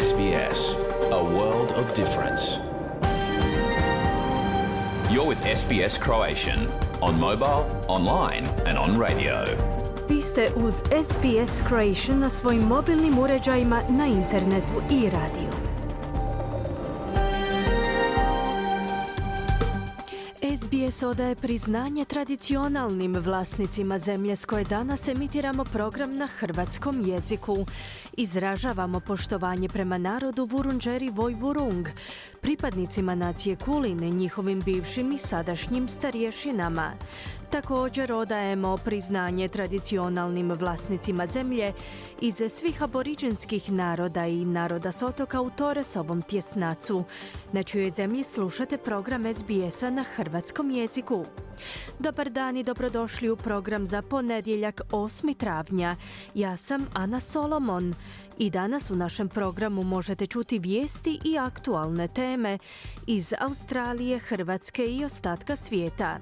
SBS, a world of difference. You're with SBS Croatian on mobile, online and on radio. Vi ste uz SBS Croatian na svojim mobilnim uređajima, na internetu i radiju. SBS odaje priznanje tradicionalnim vlasnicima zemlje s koje danas emitiramo program na hrvatskom jeziku. Izražavamo poštovanje prema narodu Vurundjeri Vojvurung, pripadnicima nacije Kulin, njihovim bivšim i sadašnjim starješinama. Također odajemo priznanje tradicionalnim vlasnicima zemlje iz svih aboriđinskih naroda i naroda s otoka u Torresovom tjesnacu, na čijoj zemlji slušate program SBS-a na hrvatskom jeziku. Dobar dan i dobrodošli u program za ponedjeljak 8. travnja. Ja sam Ana Solomon i danas u našem programu možete čuti vijesti i aktualne teme iz Australije, Hrvatske i ostatka svijeta.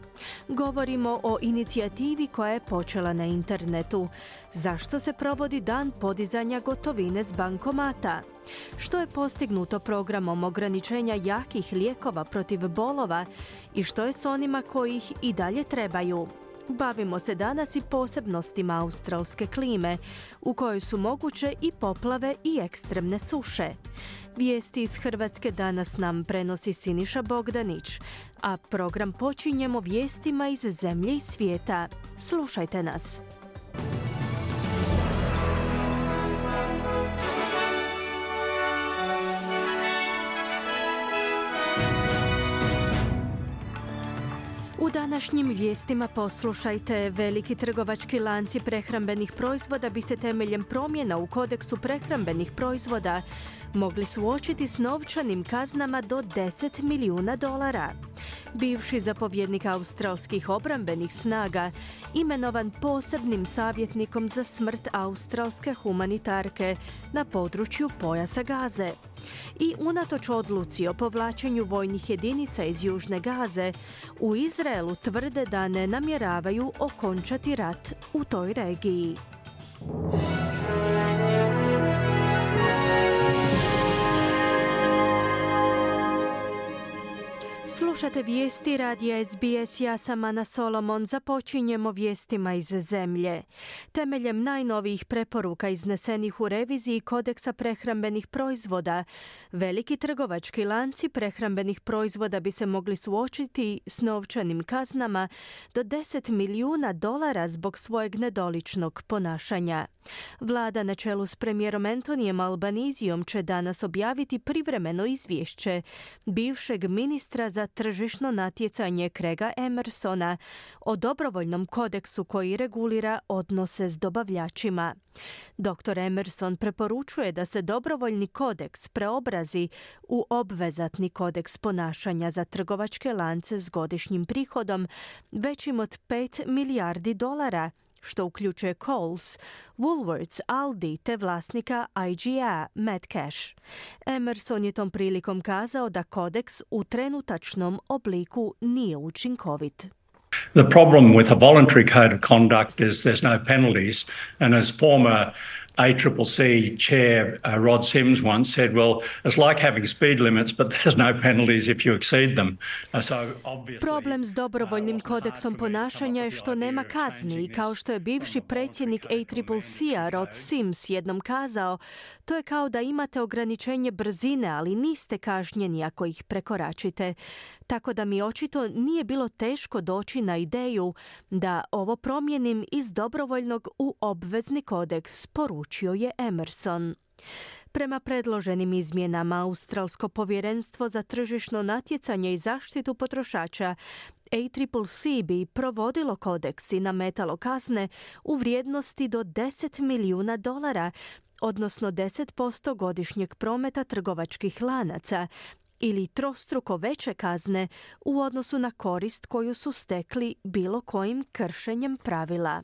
Govorimo o inicijativi koja je počela na internetu. Zašto se provodi dan podizanja gotovine s bankomata? Što je postignuto programom ograničenja jakih lijekova protiv bolova i što je s onima koji ih i dalje trebaju? Bavimo se danas i posebnostima australske klime, u kojoj su moguće i poplave i ekstremne suše. Vijesti iz Hrvatske danas nam prenosi Siniša Bogdanić, a program počinjemo vijestima iz zemlje i svijeta. Slušajte nas. U današnjim vijestima poslušajte: veliki trgovački lanci prehrambenih proizvoda bi se temeljem promjena u kodeksu prehrambenih proizvoda mogli suočiti s novčanim kaznama do $10 milijuna. Bivši zapovjednik australskih obrambenih snaga imenovan posebnim savjetnikom za smrt australske humanitarke na području pojasa Gaze. I unatoč odluci o povlačenju vojnih jedinica iz Južne Gaze, u Izraelu tvrde da ne namjeravaju okončati rat u toj regiji. Slušate vijesti radija SBS, ja sam Ana Solomon. Započinjemo vijestima iz zemlje. Temeljem najnovijih preporuka iznesenih u reviziji kodeksa prehrambenih proizvoda, veliki trgovački lanci prehrambenih proizvoda bi se mogli suočiti s novčanim kaznama do $10 milijuna zbog svojeg nedoličnog ponašanja. Vlada na čelu s premijerom Antonijem Albanizijom će danas objaviti privremeno izvješće bivšeg ministra za tržišno natjecanje Craiga Emersona o dobrovoljnom kodeksu koji regulira odnose s dobavljačima. Dr. Emerson preporučuje da se dobrovoljni kodeks preobrazi u obvezatni kodeks ponašanja za trgovačke lance s godišnjim prihodom većim od $5 milijardi, što uključuje Coles, Woolworths, Aldi te vlasnika IGA, Matt Cash. Emerson je tom prilikom kazao da kodeks u trenutačnom obliku nije učinkovit. The problem with a voluntary code of conduct is there's no penalties, and as former ACCC chair Rod Sims once said, well, it's like having speed limits, but there's no penalties if you exceed them. Problem s dobrovoljnim kodeksom ponašanja je što nema kazni i kao što je bivši predsjednik ACCC-a Rod Sims jednom kazao, to je kao da imate ograničenje brzine, ali niste kažnjeni ako ih prekoračite. Tako da mi očito nije bilo teško doći na ideju da ovo promijenim iz dobrovoljnog u obvezni kodeks, poručio je Emerson. Prema predloženim izmjenama, Australsko povjerenstvo za tržišno natjecanje i zaštitu potrošača ACCC bi provodilo kodeks i nametalo kazne u vrijednosti do $10 milijuna, odnosno 10% godišnjeg prometa trgovačkih lanaca, ili trostruko veće kazne u odnosu na korist koju su stekli bilo kojim kršenjem pravila.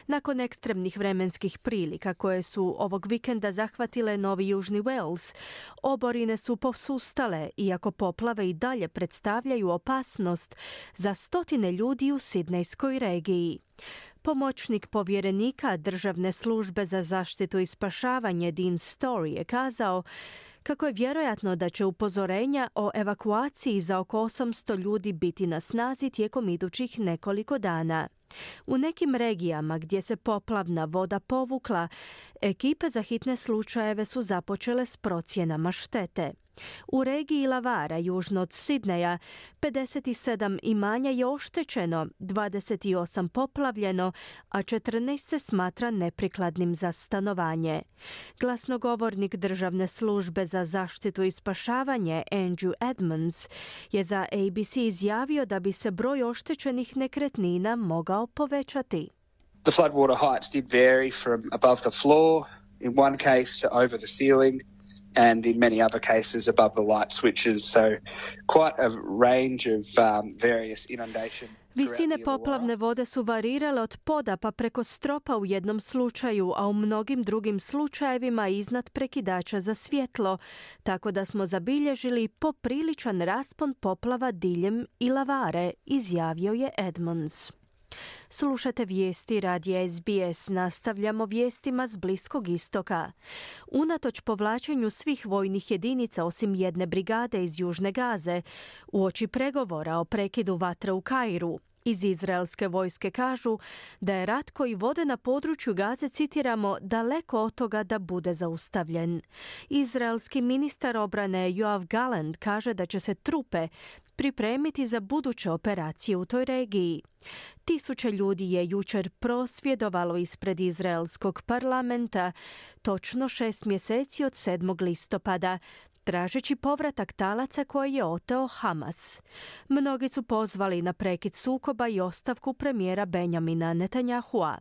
Nakon ekstremnih vremenskih prilika koje su ovog vikenda zahvatile Novi Južni Wales, oborine su posustale, iako poplave i dalje predstavljaju opasnost za stotine ljudi u Sidnejskoj regiji. Pomoćnik povjerenika Državne službe za zaštitu i spašavanje Dean Story je kazao kako je vjerojatno da će upozorenja o evakuaciji za oko 800 ljudi biti na snazi tijekom idućih nekoliko dana. U nekim regijama gdje se poplavna voda povukla, ekipe za hitne slučajeve su započele s procjenama štete. U regiji Lavara, južno od Sidneja, 57 imanja je oštećeno, 28 poplavljeno, a 14 se smatra neprikladnim za stanovanje. Glasnogovornik Državne službe za zaštitu i spašavanje Andrew Edmonds je za ABC izjavio da bi se broj oštećenih nekretnina mogao povećati. The floodwater heights did vary from above the floor, in one case to over the ceiling, and in many other cases above the light switches, so quite a range of various inundation. Visine poplavne vode su varirale od poda pa preko stropa u jednom slučaju, a u mnogim drugim slučajevima iznad prekidača za svjetlo, tako da smo zabilježili popriličan raspon poplava diljem Ilavare, izjavio je Edmonds. Slušate vijesti radija SBS, nastavljamo vijestima s Bliskog istoka. Unatoč povlačenju svih vojnih jedinica osim jedne brigade iz Južne Gaze, uoči pregovora o prekidu vatre u Kairu, iz izraelske vojske kažu da je rat koji vode na području Gaze, citiramo, daleko od toga da bude zaustavljen. Izraelski ministar obrane Yoav Gallant kaže da će se trupe pripremiti za buduće operacije u toj regiji. Tisuće ljudi je jučer prosvjedovalo ispred izraelskog parlamenta, točno 6 mjeseci od 7. listopada, tražeći povratak talaca koje je oteo Hamas. Mnogi su pozvali na prekid sukoba i ostavku premijera Benjamina Netanyahua.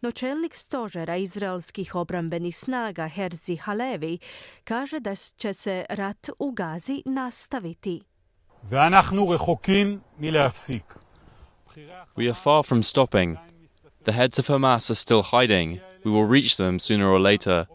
No čelnik stožera izraelskih obrambenih snaga Herzi Halevi kaže da će se rat u Gazi nastaviti. We are far from stopping. The heads of Hamas are still hiding. We will reach them sooner or later.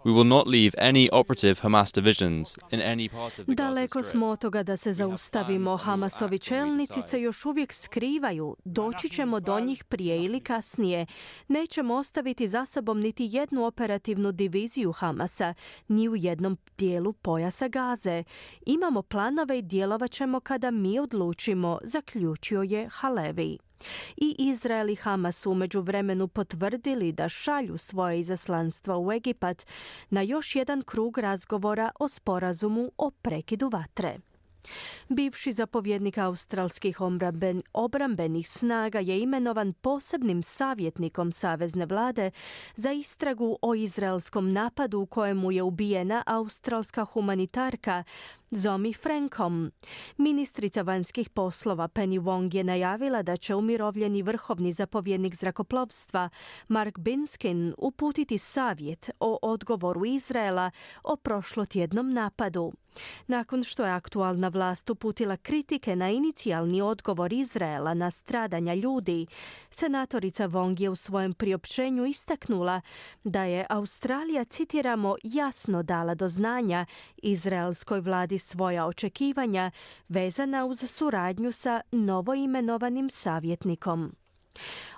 We will not leave any operative Hamas divisions in any part of the Gaza Daleko Strip. smo od toga da se zaustavimo. Hamasovi čelnici se još uvijek skrivaju. Doći ćemo do njih prije ili kasnije. Nećemo ostaviti za sobom niti jednu operativnu diviziju Hamasa, ni u jednom dijelu pojasa Gaze. Imamo planove i djelovat ćemo kada mi odlučimo, zaključio je Halevi. I Izrael i Hamas su u međuvremenu potvrdili da šalju svoje izaslanstva u Egipat na još jedan krug razgovora o sporazumu o prekidu vatre. Bivši zapovjednik australskih obrambenih snaga je imenovan posebnim savjetnikom savezne vlade za istragu o izraelskom napadu u kojemu je ubijena australska humanitarka Zomi Frankom. Ministrica vanjskih poslova Penny Wong je najavila da će umirovljeni vrhovni zapovjednik zrakoplovstva Mark Binskin uputiti savjet o odgovoru Izraela o prošlotjednom napadu. Nakon što je aktualna vlast uputila kritike na inicijalni odgovor Izraela na stradanja ljudi, senatorica Wong je u svojem priopćenju istaknula da je Australija, citiramo, jasno dala do znanja izraelskoj vladi svoja očekivanja vezana uz suradnju sa novoimenovanim savjetnikom.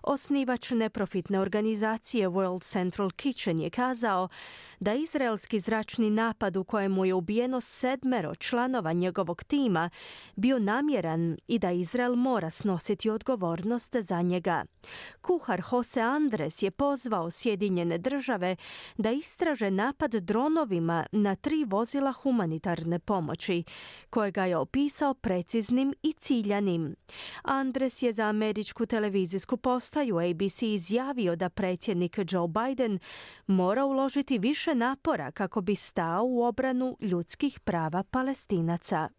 Osnivač neprofitne organizacije World Central Kitchen je kazao da izraelski zračni napad u kojemu je ubijeno 7 članova njegovog tima bio namjeran i da Izrael mora snositi odgovornost za njega. Kuhar Jose Andres je pozvao Sjedinjene države da istraže napad dronovima na 3 vozila humanitarne pomoći, kojega je opisao preciznim i ciljanim. Andres je za američku televizijsku postaju ABC izjavio da predsjednik Joe Biden mora uložiti više napora kako bi stao u obranu ljudskih prava Palestinaca.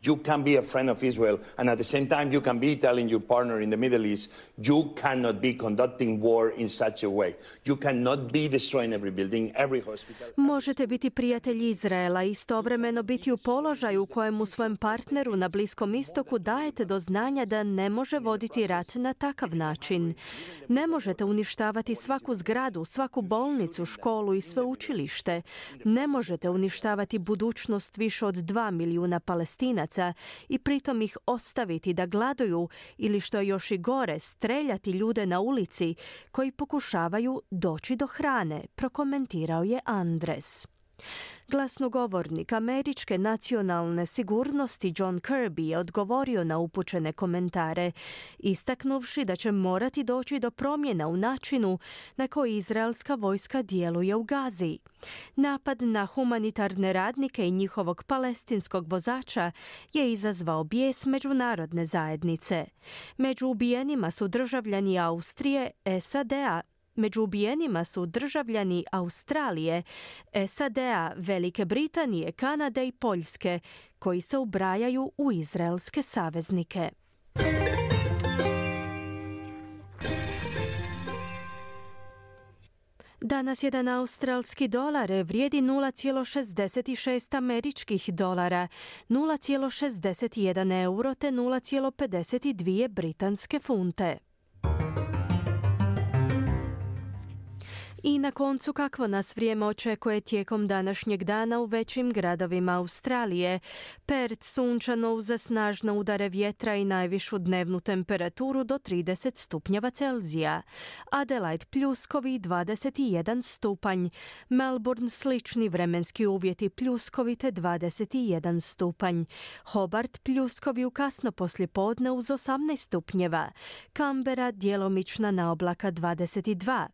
You can be a friend of Israel, and at the same time you can be telling your partner in the Middle East, you cannot be conducting war in such a way. You cannot be destroying every building, every hospital. Možete biti prijatelj Izraela i istovremeno biti u položaju u kojemu svojem partneru na Bliskom istoku dajete do znanja da ne može voditi rat na takav način. Ne možete uništavati svaku zgradu, svaku bolnicu, školu i sveučilište. Ne možete uništavati budućnost više od 2 milijuna Palestinaca kriminalaca i pritom ih ostaviti da gladuju ili, što je još i gore, streljati ljude na ulici koji pokušavaju doći do hrane, prokomentirao je Andres. Glasnogovornik američke nacionalne sigurnosti John Kirby je odgovorio na upućene komentare, istaknuvši da će morati doći do promjena u načinu na koji izraelska vojska djeluje u Gazi. Napad na humanitarne radnike i njihovog palestinskog vozača je izazvao bijes međunarodne zajednice. Među ubijenima su državljani Austrije, SAD-a, Među ubijenima su državljani Australije, SAD-a, Velike Britanije, Kanade i Poljske, koji se ubrajaju u izraelske saveznike. Danas jedan australski dolar vrijedi 0,66 američkih dolara, 0,61 euro te 0,52 britanske funte. I na koncu, kakvo nas vrijeme očekuje tijekom današnjeg dana u većim gradovima Australije. Perth sunčano uz snažne udare vjetra i najvišu dnevnu temperaturu do 30 stupnjeva Celzija. Adelaide pljuskovi 21 stupanj. Melbourne slični vremenski uvjeti pljuskovi te 21 stupanj. Hobart pljuskovi u kasno poslijepodne uz 18 stupnjeva. Canberra djelomična naoblaka 22.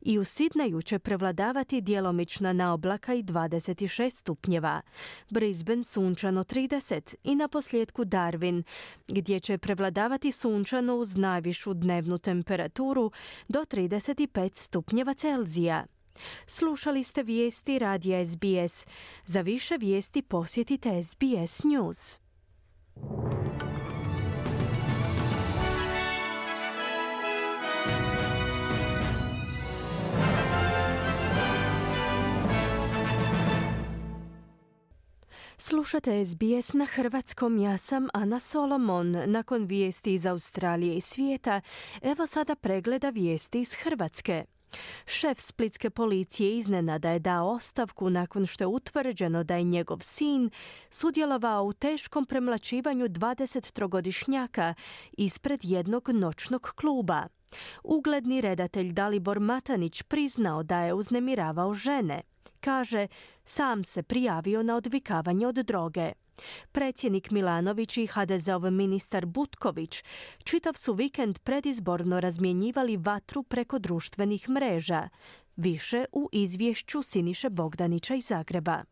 I u Sidneju će prevladavati djelomična naoblaka i 26 stupnjeva. Brisbane sunčano 30 i na posljedku Darwin, gdje će prevladavati sunčano uz najvišu dnevnu temperaturu do 35 stupnjeva Celzija. Slušali ste vijesti radija SBS. Za više vijesti posjetite SBS News. Slušate SBS na hrvatskom, ja sam Ana Solomon. Nakon vijesti iz Australije i svijeta, evo sada pregleda vijesti iz Hrvatske. Šef splitske policije iznenada je dao ostavku nakon što je utvrđeno da je njegov sin sudjelovao u teškom premlaćivanju 23-godišnjaka ispred jednog noćnog kluba. Ugledni redatelj Dalibor Matanić priznao da je uznemiravao žene. Kaže, sam se prijavio na odvikavanje od droge. Predsjednik Milanović i HDZ-ov ministar Butković čitav su vikend predizborno razmjenjivali vatru preko društvenih mreža. Više u izvješću Siniše Bogdanića iz Zagreba.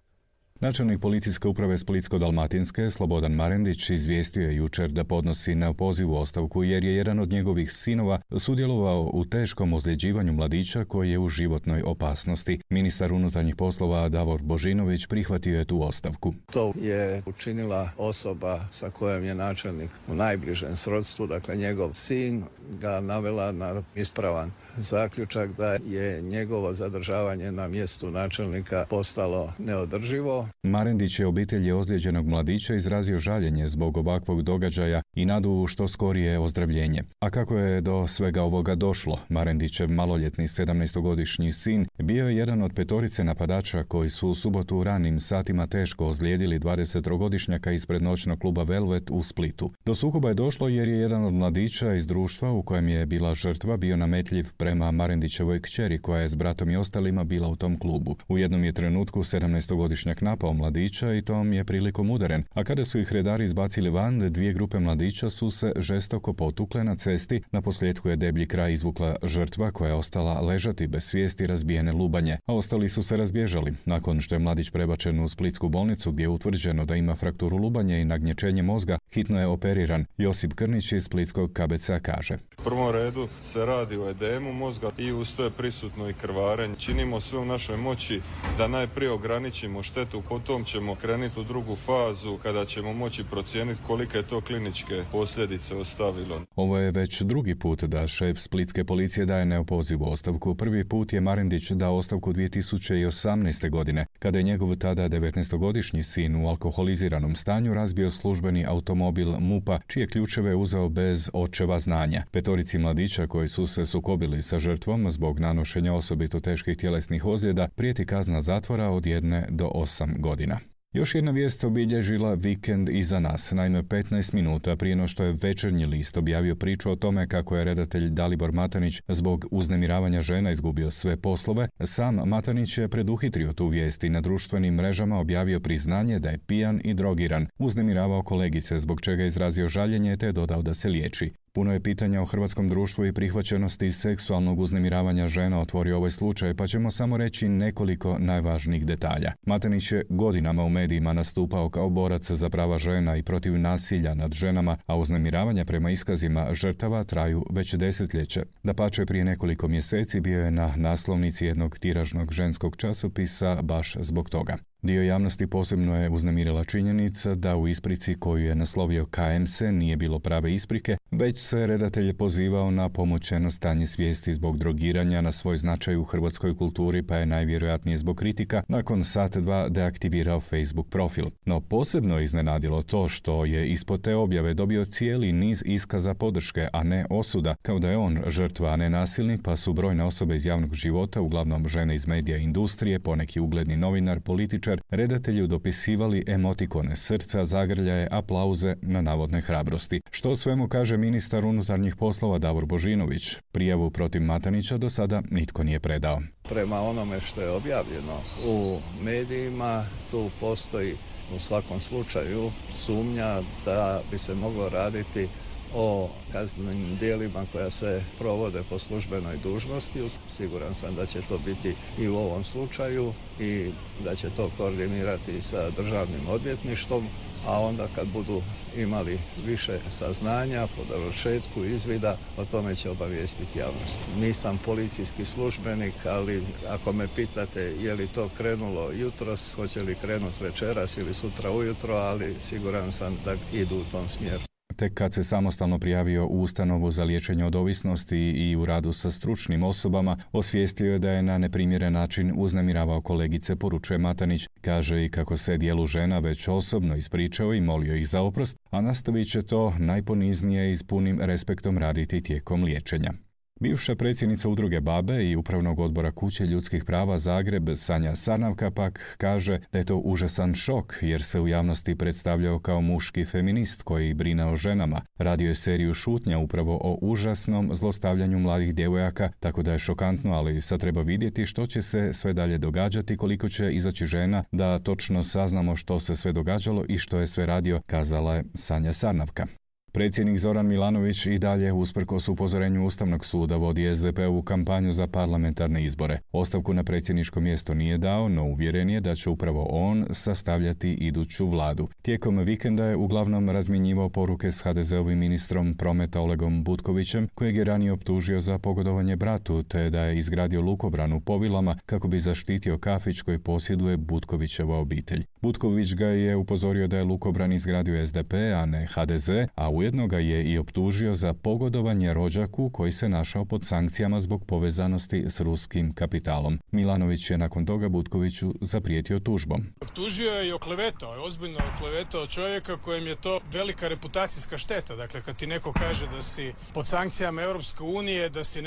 Načelnik policijske uprave Splitsko-dalmatinske Slobodan Marendić izvijestio je jučer da podnosi neopozivu ostavku jer je jedan od njegovih sinova sudjelovao u teškom ozljeđivanju mladića koji je u životnoj opasnosti. Ministar unutarnjih poslova Davor Božinović prihvatio je tu ostavku. To je učinila osoba sa kojom je načelnik u najbližem srodstvu, dakle njegov sin, ga navela na ispravan zaključak da je njegovo zadržavanje na mjestu načelnika postalo neodrživo. Marendić je obitelji ozlijeđenog mladića izrazio žaljenje zbog ovakvog događaja i nadu što skorije ozdravljenje. A kako je do svega ovoga došlo? Marendićev maloljetni 17-godišnji sin bio je jedan od 5 napadača koji su u subotu u ranim satima teško ozlijedili 20-godišnjaka ispred noćnog kluba Velvet u Splitu. Do sukoba je došlo jer je jedan od mladića iz društva u kojem je bila žrtva bio nametljiv prema Marendićevoj kćeri koja je s bratom i ostalima bila u tom klubu. U jednom je trenutku 17-godišnjak napao mladića i tom je prilikom udaren, a kada su ih redari izbacili van, 2 grupe mladića su se žestoko potukle na cesti. Na posljedku je deblji kraj izvukla žrtva koja je ostala ležati bez svijesti razbijene lubanje, a ostali su se razbježali. Nakon što je mladić prebačen u splitsku bolnicu gdje je utvrđeno da ima frakturu lubanje i nagnječenje mozga, hitno je operiran. Josip Krnić iz splitskog KBC-a kaže: U prvom redu se radi o edemu mozga i uz to je prisutno i krvarenje. Činimo sve u našoj moći da najprije ograničimo štetu, potom ćemo krenuti u drugu fazu kada ćemo moći procijeniti kolike je to kliničke posljedice ostavilo. Ovo je već drugi put da šef splitske policije daje neopozivu ostavku. Prvi put je Marendić dao ostavku 2018. godine, kada je njegov tada 19-godišnji sin u alkoholiziranom stanju razbio službeni automobil MUP-a, čije ključeve uzeo bez očeva znanja. 5 mladića koji su se sukobili sa žrtvom zbog nanošenja osobito teških tjelesnih ozljeda prijeti kazna zatvora od 1 do 8 godina. Još jedna vijest obilježila vikend iza nas. Naime, 15 minuta prije no što je Večernji list objavio priču o tome kako je redatelj Dalibor Matanić zbog uznemiravanja žena izgubio sve poslove, sam Matanić je preduhitrio tu vijest i na društvenim mrežama objavio priznanje da je pijan i drogiran, uznemiravao kolegice, zbog čega je izrazio žaljenje te dodao da se liječi. Puno je pitanja o hrvatskom društvu i prihvaćenosti seksualnog uznemiravanja žena otvorio ovaj slučaj, pa ćemo samo reći nekoliko najvažnijih detalja. Matanić je godinama u medijima nastupao kao borac za prava žena i protiv nasilja nad ženama, a uznemiravanja prema iskazima žrtava traju već desetljeće. Dapače, prije nekoliko mjeseci bio je na naslovnici jednog tiražnog ženskog časopisa baš zbog toga. Dio javnosti posebno je uznemirila činjenica da u isprici koju je naslovio KMS nije bilo prave isprike, već se redatelj pozivao na pomoćeno stanje svijesti zbog drogiranja na svoj značaj u hrvatskoj kulturi, pa je najvjerojatnije zbog kritika nakon sat dva deaktivirao Facebook profil. No posebno je iznenadilo to što je ispod te objave dobio cijeli niz iskaza podrške, a ne osuda, kao da je on žrtva, a ne nasilnik, pa su brojne osobe iz javnog života, uglavnom žene iz medija i industrije, poneki ugledni novinar, političar, redatelju dopisivali emotikone srca, zagrljaje, aplauze na navodne hrabrosti. Što svemu kaže ministar unutarnjih poslova Davor Božinović. Prijavu protiv Matanića do sada nitko nije predao. Prema onome što je objavljeno u medijima, tu postoji u svakom slučaju sumnja da bi se moglo raditi o kaznenim djelima koja se provode po službenoj dužnosti. Siguran sam da će to biti i u ovom slučaju i da će to koordinirati sa državnim odvjetništvom, a onda kad budu imali više saznanja po dovršetku izvida, o tome će obavijestiti javnost. Nisam policijski službenik, ali ako me pitate je li to krenulo jutros, hoće li krenuti večeras ili sutra ujutro, ali siguran sam da idu u tom smjeru. Tek kad se samostalno prijavio u ustanovu za liječenje od ovisnosti i u radu sa stručnim osobama, osvijestio je da je na neprimjeren način uznemiravao kolegice, poručuje Matanić. Kaže i kako se dijelu žena već osobno ispričao i molio ih za oprost, a nastavit će to najponiznije i s punim respektom raditi tijekom liječenja. Bivša predsjednica udruge BaBe i Upravnog odbora Kuće ljudskih prava Zagreb, Sanja Sarnavka, pak kaže da je to užasan šok jer se u javnosti predstavljao kao muški feminist koji brine o ženama. Radio je seriju šutnja upravo o užasnom zlostavljanju mladih djevojaka, tako da je šokantno, ali sad treba vidjeti što će se sve dalje događati, koliko će izaći žena da točno saznamo što se sve događalo i što je sve radio, kazala je Sanja Sarnavka. Predsjednik Zoran Milanović i dalje, usprkos upozorenju Ustavnog suda, vodi SDP-ovu kampanju za parlamentarne izbore. Ostavku na predsjedničko mjesto nije dao, no uvjeren je da će upravo on sastavljati iduću vladu. Tijekom vikenda je uglavnom razmjenjivao poruke s HDZ-ovim ministrom prometa Olegom Butkovićem, kojeg je ranije optužio za pogodovanje bratu, te da je izgradio lukobran u Povilama kako bi zaštitio kafić koji posjeduje Butkovićeva obitelj. Butković ga je upozorio da je lukobran izgradio SDP, a ne HDZ, a ujedno ga je i optužio za pogodovanje rođaku koji se našao pod sankcijama zbog povezanosti s ruskim kapitalom. Milanović je nakon toga Butkoviću zaprijetio tužbom. Optužio je i oklevetao, je ozbiljno oklevetao čovjeka kojem je to velika reputacijska šteta. Dakle, kad ti neko kaže da si pod sankcijama Europske unije, da si,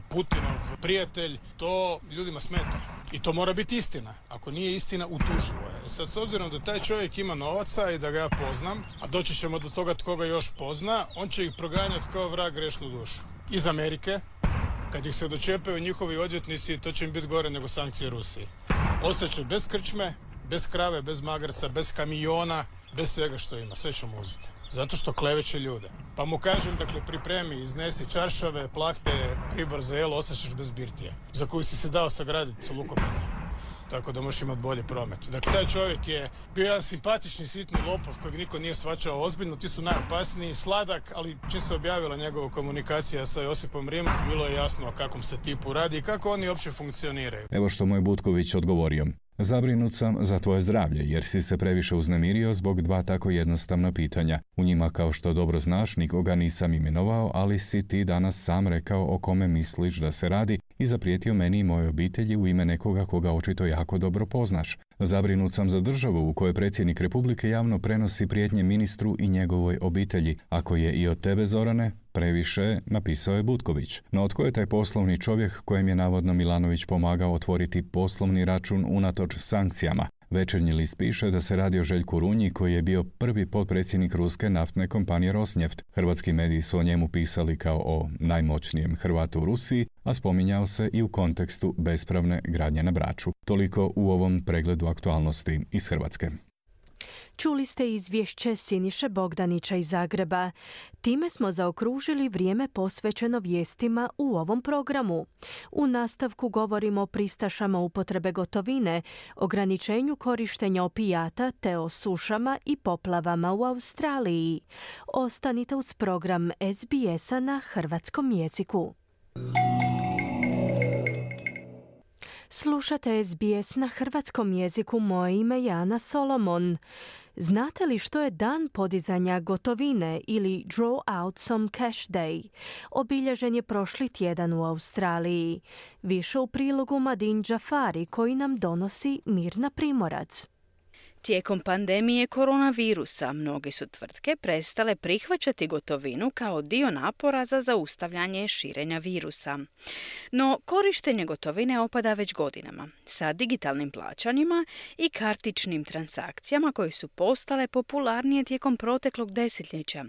Putinov prijatelj, to ljudima smeta. I to mora biti istina. Ako nije istina, utuživo je. Sad, s obzirom da taj čovjek ima novaca i da ga ja poznam, a doći ćemo do toga tko ga još pozna, on će ih proganjati kao vrag grešnu dušu. Iz Amerike, kad ih se dočepaju njihovi odvjetnici, to će im biti gore nego sankcije Rusiji. Ostaće bez krčme, bez krave, bez magarca, bez kamiona, bez svega što ima. Sve ćemo uzeti. Zato što kleveće ljude. Pa mu kažem, pripremi, iznesi čaršave, plahte, pribor za jelo, ostaćeš bez birtije, za koju si se dao sagraditi lukobran. Tako da možeš imati bolji promet. Dakle, taj čovjek je bio jedan simpatični, sitni lopov kojeg niko nije shvaćao ozbiljno. Ti su najopasniji, sladak, ali čim se objavila njegova komunikacija sa Josipom Rimac, bilo je jasno o kakvom se tipu radi i kako oni uopće funkcioniraju. Evo što mu je Butković odgovorio. Zabrinut sam za tvoje zdravlje, jer si se previše uznemirio zbog dva tako jednostavna pitanja. U njima, kao što dobro znaš, nikoga nisam imenovao, ali si ti danas sam rekao o kome misliš da se radi i zaprijetio meni i mojoj obitelji u ime nekoga koga očito jako dobro poznaš. Zabrinut sam za državu u kojoj predsjednik Republike javno prenosi prijetnje ministru i njegovoj obitelji. Ako je i od tebe, Zorane, previše, napisao je Butković. No tko je taj poslovni čovjek kojem je navodno Milanović pomagao otvoriti poslovni račun unatoč sankcijama? Večernji list piše da se radi o Željku Runji, koji je bio prvi potpredsjednik ruske naftne kompanije Rosneft. Hrvatski mediji su o njemu pisali kao o najmoćnijem Hrvatu u Rusiji, a spominjao se i u kontekstu bespravne gradnje na Braču. Toliko u ovom pregledu aktualnosti iz Hrvatske. Čuli ste izvješće Siniše Bogdanića iz Zagreba. Time smo zaokružili vrijeme posvećeno vijestima u ovom programu. U nastavku govorimo o pristašama upotrebe gotovine, ograničenju korištenja opijata te o sušama i poplavama u Australiji. Ostanite uz program SBS-a na hrvatskom jeziku. Slušate SBS na hrvatskom jeziku, moje ime je Ana Solomon. Znate li što je dan podizanja gotovine ili Draw Out Some Cash Day? Obilježen je prošli tjedan u Australiji. Više u prilogu Madin Džafari koji nam donosi Mirna Primorac. Tijekom pandemije koronavirusa mnoge su tvrtke prestale prihvaćati gotovinu kao dio napora za zaustavljanje širenja virusa. No, korištenje gotovine opada već godinama, sa digitalnim plaćanjima i kartičnim transakcijama koje su postale popularnije tijekom proteklog desetljeća.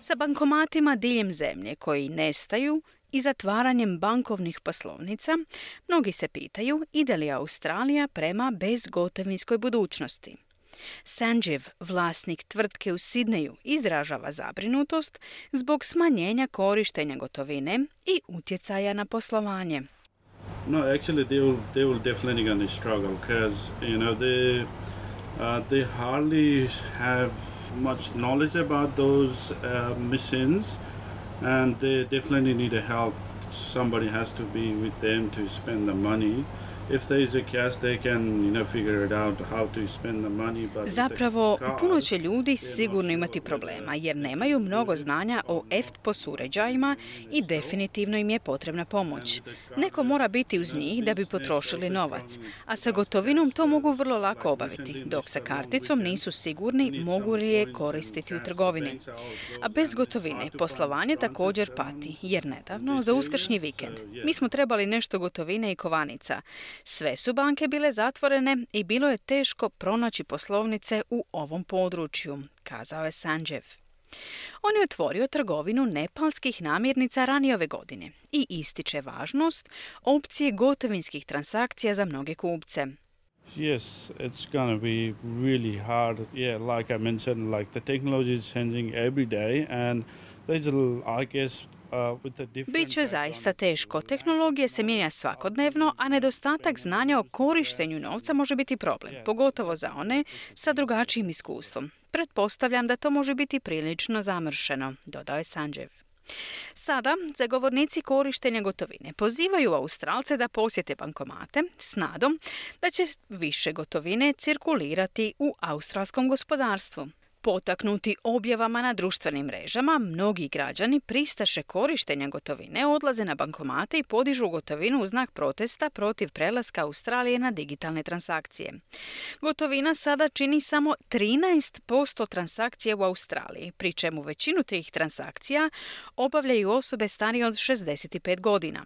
Sa bankomatima diljem zemlje koji nestaju i zatvaranjem bankovnih poslovnica, mnogi se pitaju ide li Australija prema bezgotovinskoj budućnosti. Sanjeev, vlasnik tvrtke u Sidneju, izražava zabrinutost zbog smanjenja korištenja gotovine i utjecaja na poslovanje. No, actually they will definitely going to struggle because they hardly have much knowledge about those machines, and they definitely need a help. Somebody has to be with them to spend the money. If there is a cash, they can, figure it out how to spend the money. Zapravo, puno će ljudi sigurno imati problema jer nemaju mnogo znanja o EFTPOS uređajima i definitivno im je potrebna pomoć. Neko mora biti uz njih da bi potrošili novac, a sa gotovinom to mogu vrlo lako obaviti, dok sa karticom nisu sigurni mogu li je koristiti u trgovini. A bez gotovine poslovanje također pati, jer nedavno, za uskršnji vikend, mi smo trebali nešto gotovine i kovanica. Sve su banke bile zatvorene i bilo je teško pronaći poslovnice u ovom području, kazao je Sanjeev. On je otvorio trgovinu nepalskih namirnica ranije ove godine i ističe važnost opcije gotovinskih transakcija za mnoge kupce. Yes, it's going to be really hard. Yeah, like I mentioned, like the technology is changing every day and there's I guess Biće zaista teško. Tehnologija se mijenja svakodnevno, a nedostatak znanja o korištenju novca može biti problem, pogotovo za one sa drugačijim iskustvom. Pretpostavljam da to može biti prilično zamršeno, dodao je Sanjeev. Sada zagovornici korištenja gotovine pozivaju Australce da posjete bankomate s nadom da će više gotovine cirkulirati u australskom gospodarstvu. Potaknuti objavama na društvenim mrežama, mnogi građani pristaše korištenja gotovine odlaze na bankomate i podižu gotovinu u znak protesta protiv prelaska Australije na digitalne transakcije. Gotovina sada čini samo 13% transakcija u Australiji, pri čemu većinu tih transakcija obavljaju osobe starije od 65 godina.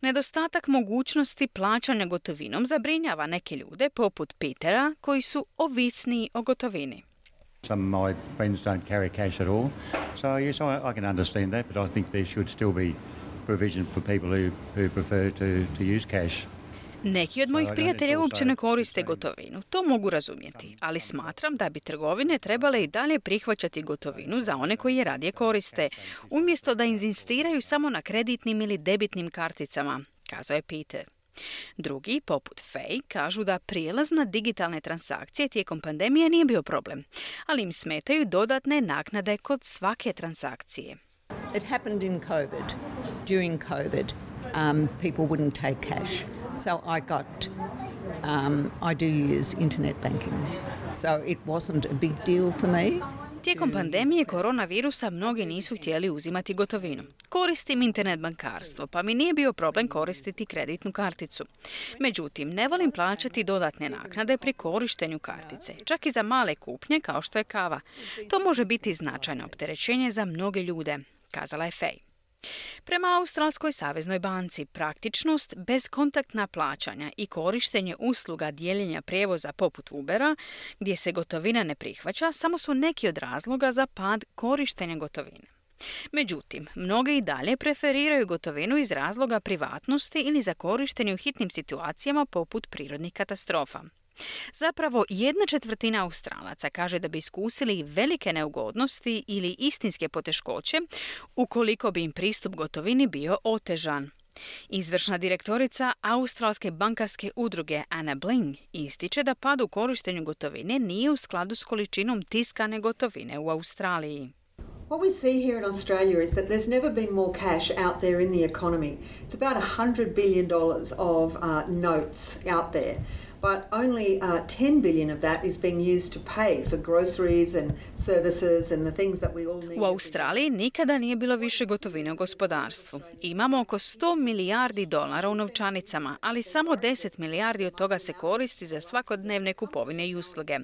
Nedostatak mogućnosti plaćanja gotovinom zabrinjava neke ljude poput Petera koji su ovisniji o gotovini. Some of my friends don't carry cash at all. So yes, I can understand that, but I think there should still be provision for people who prefer to use cash. Neki od mojih prijatelja uopće ne koriste gotovinu. To mogu razumjeti, ali smatram da bi trgovine trebale i dalje prihvaćati gotovinu za one koji je radije koriste, umjesto da inzistiraju samo na kreditnim ili debitnim karticama, kazao je Peter. Drugi, poput Faye, kažu da prijelaz na digitalne transakcije tijekom pandemije nije bio problem, ali im smetaju dodatne naknade kod svake transakcije. It happened in COVID. During COVID, people wouldn't take cash. So I do use internet banking. So it wasn't a big deal for me. Tijekom pandemije koronavirusa mnogi nisu htjeli uzimati gotovinu. Koristim internet bankarstvo, pa mi nije bio problem koristiti kreditnu karticu. Međutim, ne volim plaćati dodatne naknade pri korištenju kartice, čak i za male kupnje kao što je kava. To može biti značajno opterećenje za mnoge ljude, kazala je Faye. Prema Australskoj saveznoj banci, praktičnost, bezkontaktna plaćanja i korištenje usluga dijeljenja prijevoza poput Ubera, gdje se gotovina ne prihvaća, samo su neki od razloga za pad korištenja gotovine. Međutim, mnogi i dalje preferiraju gotovinu iz razloga privatnosti ili za korištenje u hitnim situacijama poput prirodnih katastrofa. Zapravo, 1/4 Australaca kaže da bi iskusili velike neugodnosti ili istinske poteškoće ukoliko bi im pristup gotovini bio otežan. Izvršna direktorica Australske bankarske udruge Anna Bling ističe da pad u korištenju gotovine nije u skladu s količinom tiskane gotovine u Australiji. What we see here in Australia is that there's never been more cash out there in the economy. It's about $100 billion of notes out there. But only 10 billion of that is being used to pay for groceries and services and the things that we all need. U Australiji nikada nije bilo više gotovine u gospodarstvu. Imamo oko 100 milijardi dolara u novčanicama, ali samo 10 milijardi od toga se koristi za svakodnevne kupovine i usluge.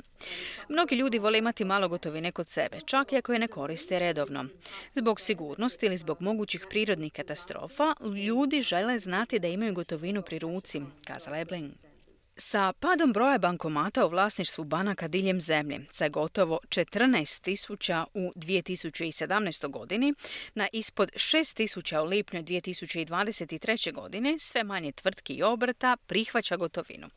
Mnogi ljudi vole imati malo gotovine kod sebe, čak i ako je ne koriste redovno. Zbog sigurnosti ili zbog mogućih prirodnih katastrofa, ljudi žele znati da imaju gotovinu pri ruci, kazala je Bling. Sa padom broja bankomata u vlasništvu banaka diljem zemlje, sa gotovo 14.000 u 2017. godini na ispod 6.000 u lipnju 2023. godine, sve manje tvrtki i obrta prihvaća gotovinu.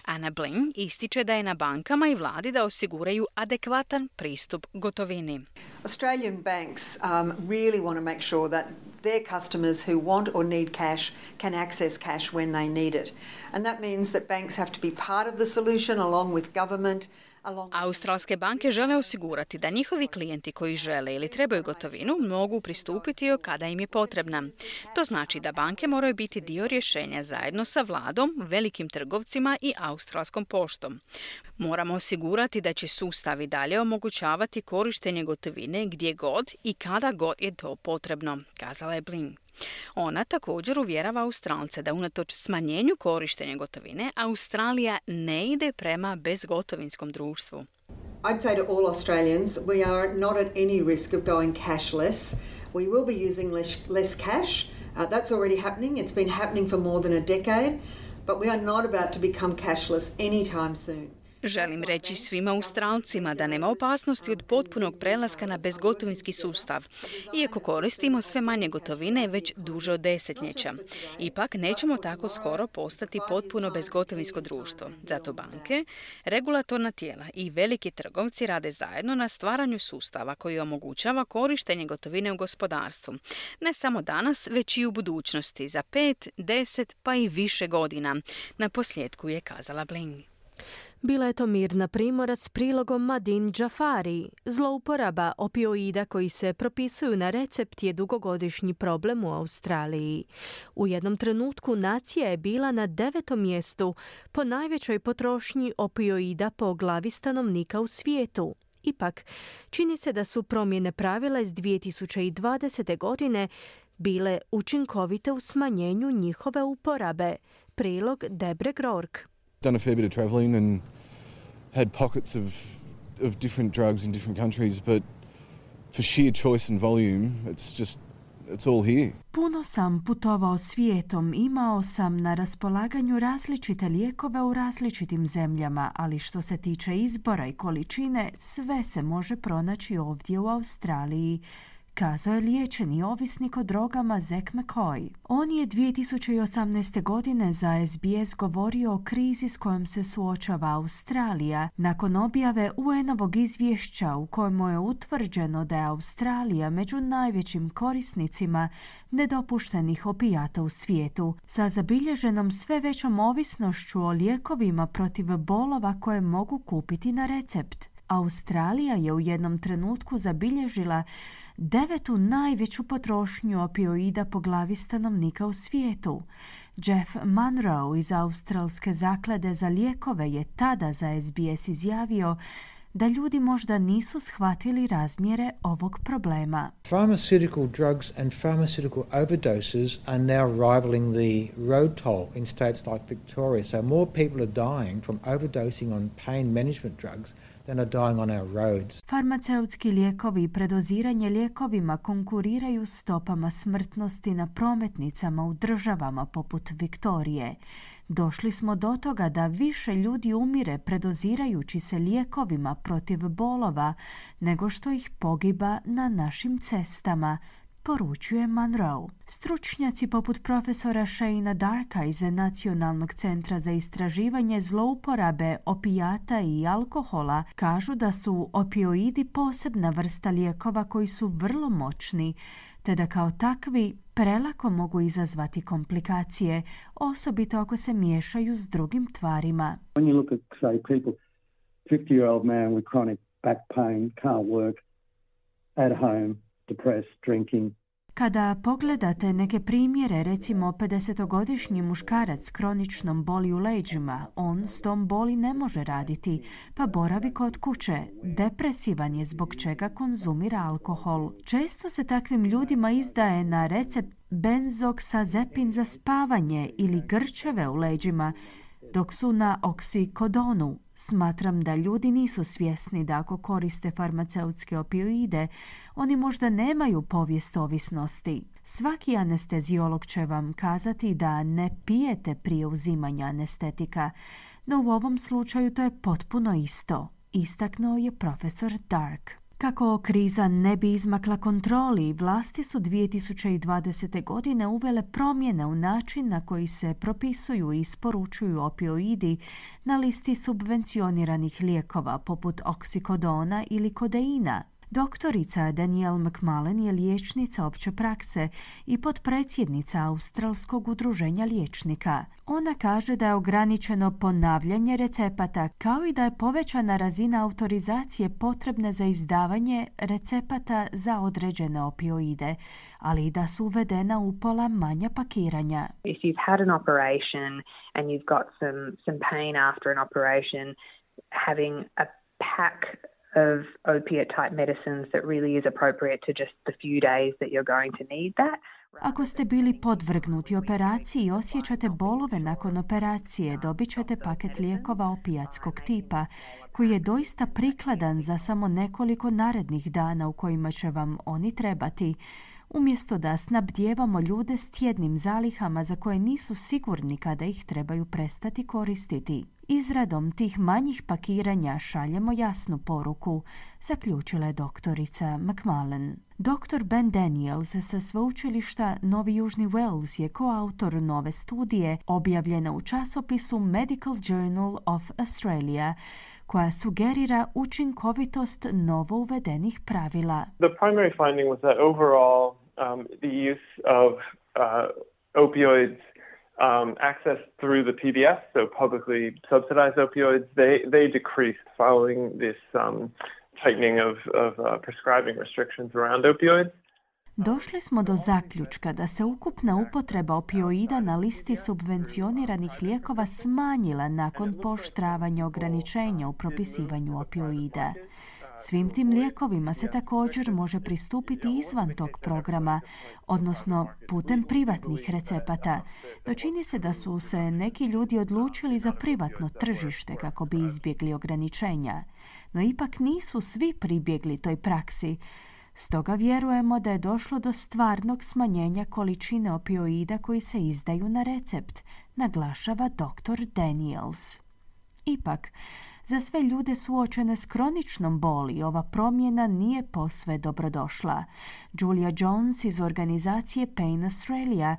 Anna Bling ističe da je na bankama i vladi da osiguraju adekvatan pristup gotovini. Australian banks really want to make sure that their customers who want or need cash can access cash when they need it. And that means that banks have to be part of the solution along with government. Australske banke žele osigurati da njihovi klijenti koji žele ili trebaju gotovinu mogu pristupiti joj kada im je potrebna. To znači da banke moraju biti dio rješenja zajedno sa vladom, velikim trgovcima i Australskom poštom. Moramo osigurati da će sustav i dalje omogućavati korištenje gotovine gdje god i kada god je to potrebno, kazala je Bling. Ona također uvjerava Australce da unatoč smanjenju korištenja gotovine, Australija ne ide prema bezgotovinskom društvu. I'd say to all Australians, we are not at any risk of going cashless. We will be using less cash. That's already happening. It's been happening for more than a decade. But we are not about to become cashless anytime soon. Želim reći svima Australcima da nema opasnosti od potpunog prelaska na bezgotovinski sustav, iako koristimo sve manje gotovine već duže od desetljeća. Ipak nećemo tako skoro postati potpuno bezgotovinsko društvo. Zato banke, regulatorna tijela i veliki trgovci rade zajedno na stvaranju sustava koji omogućava korištenje gotovine u gospodarstvu. Ne samo danas, već i u budućnosti, za 5, 10 pa i više godina. Na posljedku je kazala Bling. Bila je to Mirna Primorac s prilogom Madin Džafari. Zlouporaba opioida koji se propisuju na recept je dugogodišnji problem u Australiji. U jednom trenutku nacija je bila na 9. mjestu po najvećoj potrošnji opioida po glavi stanovnika u svijetu. Ipak, čini se da su promjene pravila iz 2020. godine bile učinkovite u smanjenju njihove uporabe. Prilog Debre Grork. Done a fair bit of travelling and had pockets of different drugs in different countries, but for sheer choice and volume, it's all here. Puno sam putovao svijetom, imao sam na raspolaganju različite lijekove u različitim zemljama, ali što se tiče izbora i količine, sve se može pronaći ovdje u Australiji, kazao je liječeni ovisnik o drogama Zack McCoy. On je 2018. godine za SBS govorio o krizi s kojom se suočava Australija nakon objave UN-ovog izvješća u kojemu je utvrđeno da je Australija među najvećim korisnicima nedopuštenih opijata u svijetu, sa zabilježenom sve većom ovisnošću o lijekovima protiv bolova koje mogu kupiti na recept. Australija je u jednom trenutku zabilježila 9. najveću potrošnju opioida po glavi stanovnika u svijetu. Jeff Munro iz Australske zaklade za lijekove je tada za SBS izjavio da ljudi možda nisu shvatili razmjere ovog problema. Pharmaceutical drugs and pharmaceutical overdoses are now rivaling the road toll in states like Victoria. So more people are dying from overdosing on pain management drugs than are dying on our roads. Farmaceutski lijekovi i predoziranje lijekovima konkuriraju stopama smrtnosti na prometnicama u državama poput Viktorije. Došli smo do toga da više ljudi umire predozirajući se lijekovima protiv bolova nego što ih pogiba na našim cestama, poručuje Monroe. Stručnjaci poput profesora Shayna Darka iz Nacionalnog centra za istraživanje zlouporabe opijata i alkohola kažu da su opioidi posebna vrsta lijekova koji su vrlo moćni, te da kao takvi prelako mogu izazvati komplikacije, osobito ako se miješaju s drugim tvarima. When you look at, say, people, 50-year-old man with chronic back pain, can't work, at home, depressed, drinking. Kada pogledate neke primjere, recimo 50-godišnji muškarac s kroničnom boli u leđima, on s tom boli ne može raditi, pa boravi kod kuće. Depresivan je zbog čega konzumira alkohol. Često se takvim ljudima izdaje na recept benzoksazepin za spavanje ili grčeve u leđima, dok su na oksikodonu. Smatram da ljudi nisu svjesni da ako koriste farmaceutske opioide, oni možda nemaju povijest ovisnosti. Svaki anesteziolog će vam kazati da ne pijete prije uzimanja anestetika, no u ovom slučaju to je potpuno isto, istaknuo je profesor Dark. Kako kriza ne bi izmakla kontroli, vlasti su 2020. godine uvele promjene u način na koji se propisuju i isporučuju opioidi na listi subvencioniranih lijekova poput oksikodona ili kodeina. Doktorica Danielle McMullen je liječnica opće prakse i potpredsjednica Australskog udruženja liječnika. Ona kaže da je ograničeno ponavljanje recepata kao i da je povećana razina autorizacije potrebne za izdavanje recepata za određene opioide, ali i da su uvedena upola manja pakiranja. If you've had an operation and you've got some pain after an operation, having a pack of opiate type medicines that really is appropriate to just the few days that you're going to need that. Ako ste bili podvrgnuti operaciji i osjećate bolove nakon operacije, dobit ćete paket lijekova opijatskog tipa, koji je doista prikladan za samo nekoliko narednih dana u kojima će vam oni trebati, umjesto da snabdijevamo ljude s tjednim zalihama za koje nisu sigurni kada ih trebaju prestati koristiti. Izradom tih manjih pakiranja šaljemo jasnu poruku, zaključila je doktorica McMullen. Dr. Ben Daniels sa sveučilišta Novi Južni Wales je koautor nove studije objavljena u časopisu Medical Journal of Australia, koja sugerira učinkovitost novo uvedenih pravila. The primary finding was that overall the use of opioids access through the PBS, so publicly subsidized opioids, they decreased following this tightening of prescribing restrictions around opioids. Došli smo do zaključka da se ukupna upotreba opioida na listi subvencioniranih lijekova smanjila nakon pooštravanja ograničenja u propisivanju opioida. Svim tim lijekovima se također može pristupiti izvan tog programa, odnosno putem privatnih recepata. No čini se da su se neki ljudi odlučili za privatno tržište kako bi izbjegli ograničenja. No ipak nisu svi pribjegli toj praksi. Stoga vjerujemo da je došlo do stvarnog smanjenja količine opioida koji se izdaju na recept, naglašava dr. Daniels. Ipak, za sve ljude suočene s kroničnom boli ova promjena nije posve dobrodošla. Julia Jones iz organizacije Pain Australia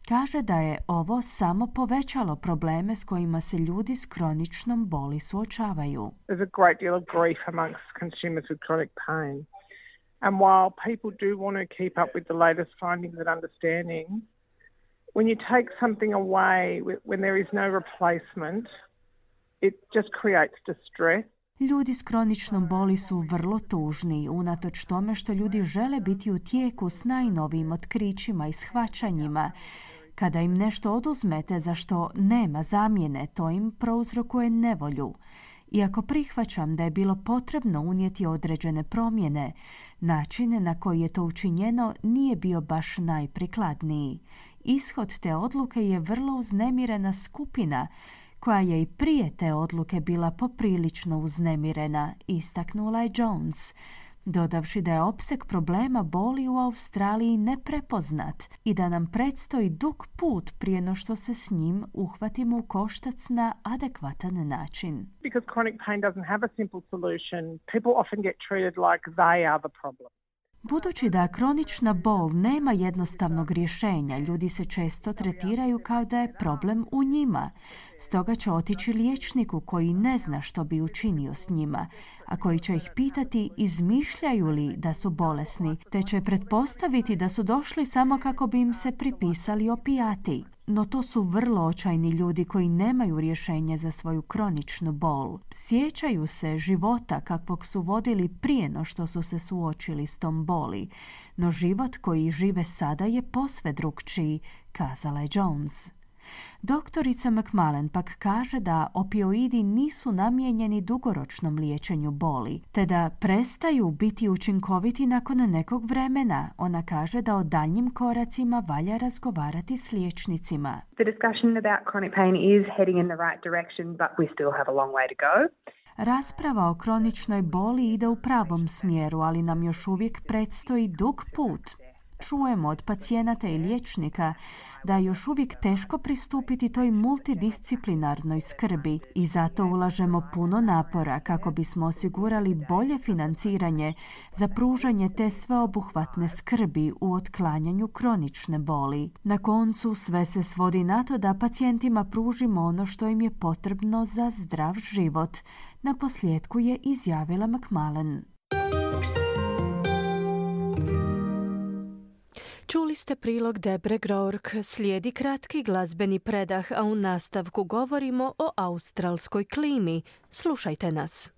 kaže da je ovo samo povećalo probleme s kojima se ljudi s kroničnom boli suočavaju. There's a great deal of grief amongst consumers with chronic pain. And while people do want to keep up with the latest findings and understanding, when you take something away, when there is no replacement, it just creates distress. Ljudi s kroničnom boli su vrlo tužni, unatoč tome što ljudi žele biti u tijeku s najnovijim otkrićima i shvaćanjima. Kada im nešto oduzmete za što nema zamjene, to im prouzrokuje nevolju. Iako prihvaćam da je bilo potrebno unijeti određene promjene, način na koji je to učinjeno nije bio baš najprikladniji. Ishod te odluke je vrlo uznemirena skupina koja je i prije te odluke bila poprilično uznemirena, istaknula je Jones, dodavši da je opseg problema boli u Australiji neprepoznat i da nam predstoji dug put prije no što se s njim uhvatimo u koštac na adekvatan način. Because chronic pain doesn't have a simple solution, people often get treated like they are the problem. Budući da kronična bol nema jednostavnog rješenja, ljudi se često tretiraju kao da je problem u njima. Stoga će otići liječniku koji ne zna što bi učinio s njima, a koji će ih pitati izmišljaju li da su bolesni, te će pretpostaviti da su došli samo kako bi im se pripisali opijati. No to su vrlo očajni ljudi koji nemaju rješenje za svoju kroničnu bol. Sjećaju se života kakvog su vodili prije no što su se suočili s tom boli. No život koji žive sada je posve drukčiji, kazala je Jones. Doktorica McMullen pak kaže da opioidi nisu namijenjeni dugoročnom liječenju boli, te da prestaju biti učinkoviti nakon nekog vremena. Ona kaže da o daljnjim koracima valja razgovarati s liječnicima. The discussion about chronic pain is heading in the right direction, but we still have a long way to go. Rasprava o kroničnoj boli ide u pravom smjeru, ali nam još uvijek predstoji dug put. Čujemo od pacijenata i liječnika da je još uvijek teško pristupiti toj multidisciplinarnoj skrbi i zato ulažemo puno napora kako bismo osigurali bolje financiranje za pružanje te sveobuhvatne skrbi u otklanjanju kronične boli. Na koncu sve se svodi na to da pacijentima pružimo ono što im je potrebno za zdrav život. Na posljedku je izjavila McMullen. Čuli ste prilog Debre Grourk, slijedi kratki glazbeni predah, a u nastavku govorimo o australskoj klimi. Slušajte nas.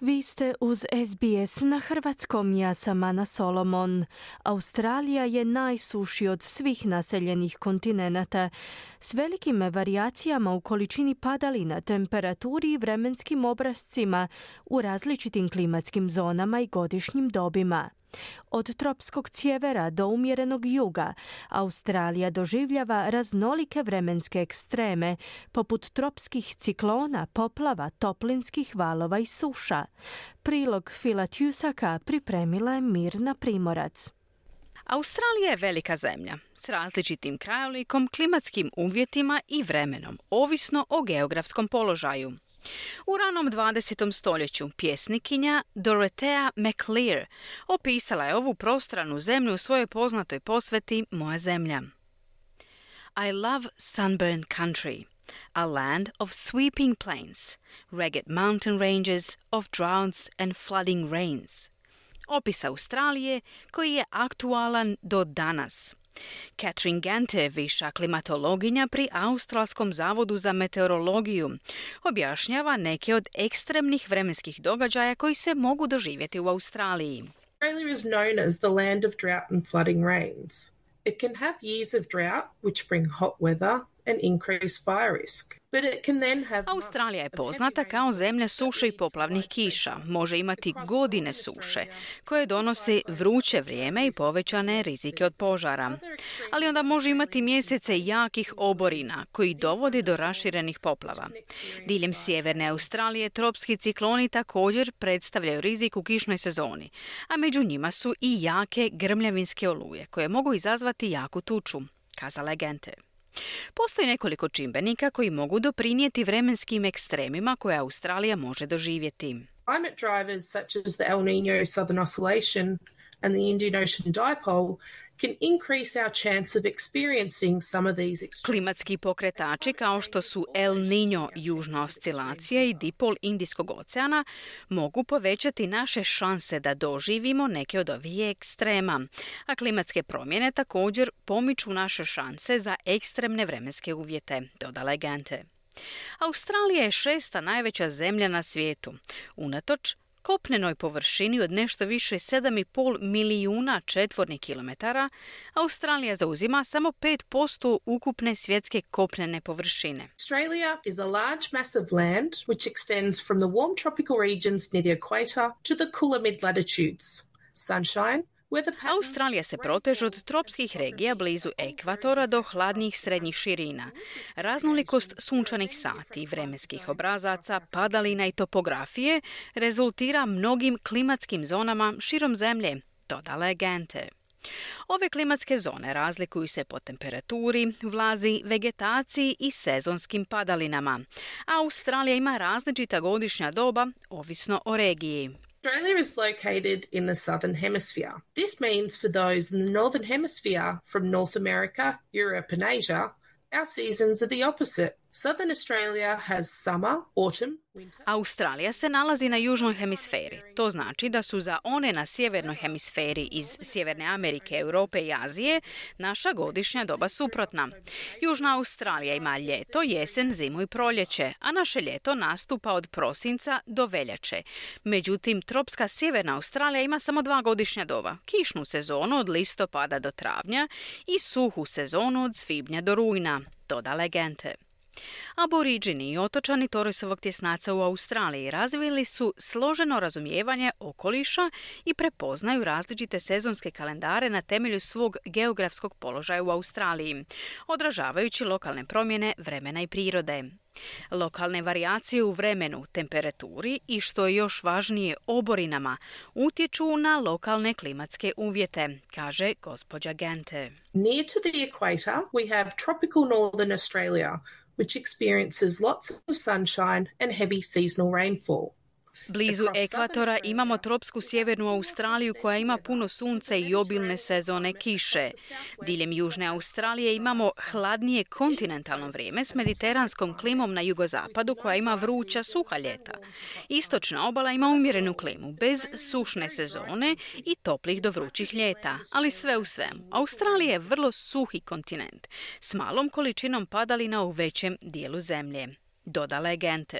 Vi ste uz SBS na hrvatskom, ja sam Ana Solomon. Australija je najsuši od svih naseljenih kontinenata, s velikim varijacijama u količini padalina, temperaturi i vremenskim obrascima u različitim klimatskim zonama i godišnjim dobima. Od tropskog sjevera do umjerenog juga, Australija doživljava raznolike vremenske ekstreme, poput tropskih ciklona, poplava, toplinskih valova i suša. Prilog Phila Tusaka pripremila je Mirna Primorac. Australija je velika zemlja s različitim krajolikom, klimatskim uvjetima i vremenom, ovisno o geografskom položaju. U ranom 20. stoljeću pjesnikinja Dorothea McLear opisala je ovu prostranu zemlju u svojoj poznatoj posveti Moja zemlja. I love sunburned country, a land of sweeping plains, rugged mountain ranges of droughts and flooding rains. Opis Australije koji je aktualan do danas. Catherine Gante, viša klimatologinja pri Australskom zavodu za meteorologiju, objašnjava neke od ekstremnih vremenskih događaja koji se mogu doživjeti u Australiji. Australia is known as the land of drought and flooding rains. It can have years of drought, which bring hot weather and increased fire risk. But it can then have Australija je poznata kao zemlja suše i poplavnih kiša. Može imati godine suše, koje donose vruće vrijeme i povećane rizike od požara. Ali onda može imati mjesece jakih oborina, koji dovode do raširenih poplava. Diljem sjeverne Australije tropski cikloni također predstavljaju rizik u kišnoj sezoni, a među njima su i jake grmljavinske oluje, koje mogu izazvati jaku tuču, kazala je Gente. Postoji nekoliko čimbenika koji mogu doprinijeti vremenskim ekstremima koje Australija može doživjeti. Climate drivers such as the El Niño Southern Oscillation and the Indian Ocean Dipole can increase our chance of experiencing some of these extremes. Klimatski pokretači kao što su El Niño južna oscilacija i dipol Indijskog oceana mogu povećati naše šanse da doživimo neke od ovih ekstrema, a klimatske promjene također pomiču naše šanse za ekstremne vremenske uvjete, dodala je Gante. Australija je 6. najveća zemlja na svijetu. Unatoč kopnenoj površini od nešto više 7,5 milijuna četvornih kilometara, Australija zauzima samo 5% ukupne svjetske kopnene površine. Australia is a large mass of land which extends from the warm tropical regions near the equator to the cooler mid-latitudes. Sunshine, Australija se proteže od tropskih regija blizu ekvatora do hladnijih srednjih širina. Raznolikost sunčanih sati, vremenskih obrazaca, padalina i topografije rezultira mnogim klimatskim zonama širom zemlje, dodala je Gente. Ove klimatske zone razlikuju se po temperaturi, vlazi, vegetaciji i sezonskim padalinama. Australija ima različita godišnja doba, ovisno o regiji. Australia is located in the southern hemisphere. This means for those in the northern hemisphere from North America, Europe and Asia, our seasons are the opposite. Southern Australia has summer, autumn, winter. Australija se nalazi na južnoj hemisferi. To znači da su za one na sjevernoj hemisferi iz Sjeverne Amerike, Europe i Azije naša godišnja doba suprotna. Južna Australija ima ljeto, jesen, zimu i proljeće, a naše ljeto nastupa od prosinca do veljače. Međutim, tropska Sjeverna Australija ima samo 2 godišnja doba. Kišnu sezonu od listopada do travnja i suhu sezonu od svibnja do rujna, dodala je Gente. Aboriđini i otočani Torresovog tjesnaca u Australiji razvili su složeno razumijevanje okoliša i prepoznaju različite sezonske kalendare na temelju svog geografskog položaja u Australiji, odražavajući lokalne promjene vremena i prirode. Lokalne varijacije u vremenu, temperaturi i, što je još važnije, oborinama utječu na lokalne klimatske uvjete, kaže gospođa Gente. Near to the equator, we have tropical northern Australia, which experiences lots of sunshine and heavy seasonal rainfall. Blizu ekvatora imamo tropsku sjevernu Australiju koja ima puno sunca i obilne sezone kiše. Diljem južne Australije imamo hladnije kontinentalno vrijeme s mediteranskom klimom na jugozapadu koja ima vruća, suha ljeta. Istočna obala ima umjerenu klimu, bez sušne sezone i toplih do vrućih ljeta. Ali sve u svemu, Australija je vrlo suhi kontinent s malom količinom padalina u većem dijelu zemlje, dodala je Gente.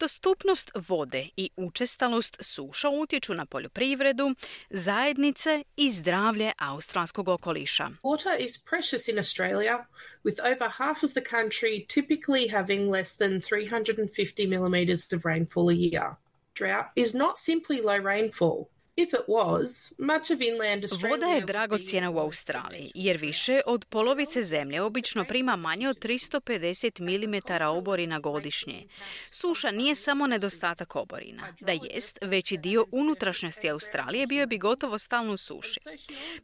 Dostupnost vode i učestalost suša utječu na poljoprivredu, zajednice i zdravlje australskog okoliša. Water is precious in Australia, with over half of the country typically having less than 350 millimetres of rainfall a year. Drought is not simply low rainfall. If it was, much of inland Australia... Voda je dragocjena u Australiji, jer više od polovice zemlje obično prima manje od 350 mm oborina godišnje. Suša nije samo nedostatak oborina. Da jest, veći dio unutrašnjosti Australije bio bi gotovo stalno u suši.